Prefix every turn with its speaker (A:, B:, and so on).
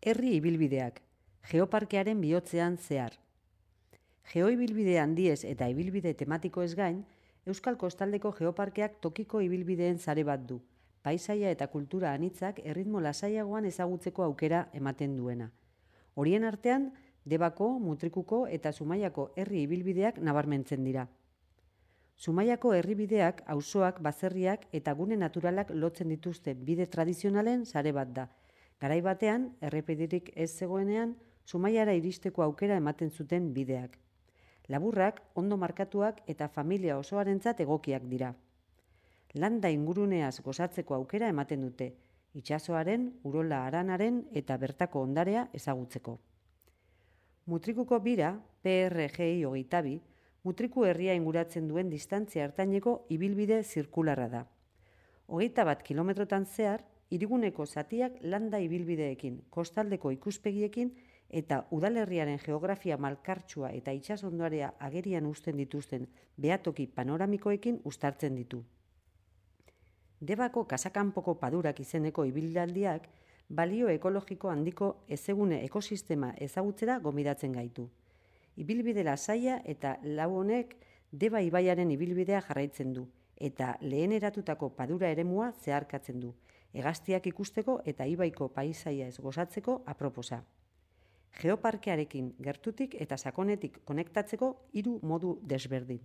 A: Herri ibilbideak, geoparkearen bihotzean zehar. Geoibilbide handiez eta ibilbide tematikoez gain, Euskal Kostaldeko Geoparkeak tokiko ibilbideen sare bat du, paisaia eta kultura anitzak erritmo lasaiagoan ezagutzeko aukera ematen duena. Horien artean, Debako, Mutrikuko eta Zumaiako herri ibilbideak nabarmentzen dira. Zumaiako herribideak, auzoak, baserriak eta gune naturalak lotzen dituzte bide tradizionalen sare bat da. Garai batean, errepiderik ez zegoenean, Zumaiara iristeko aukera ematen zuten bideak. Laburrak, ondo markatuak eta familia osoarentzat egokiak dira. Landa inguruneaz gozatzeko aukera ematen dute, itsasoaren, urola haranaren eta bertako ondarea ezagutzeko. Mutrikuko bira, PRGI 22, Mutriku herria inguratzen duen distantzia ertaineko ibilbide zirkularra da. 21 kilometrotan zehar, hiriguneko zatiak landa ibilbideekin, kostaldeko ikuspegiekin eta udalerriaren geografia malkartsua eta itsasondoarea agerian uzten dituzten behatoki panoramikoekin uztartzen ditu. Debako Kasakanpoko Padurak izeneko ibilaldiak balio ekologiko handiko ezegune ekosistema ezagutzera gonbidatzen gaitu. Ibilbide lasaia eta lau honek Deba ibaiaren ibilbidea jarraitzen du eta lehen eratutako Padura eremua zeharkatzen du, hegaztiak ikusteko eta ibaiko paisaia ez gozatzeko aproposa. Geoparkearekin gertutik eta sakonetik konektatzeko 3 modu desberdin.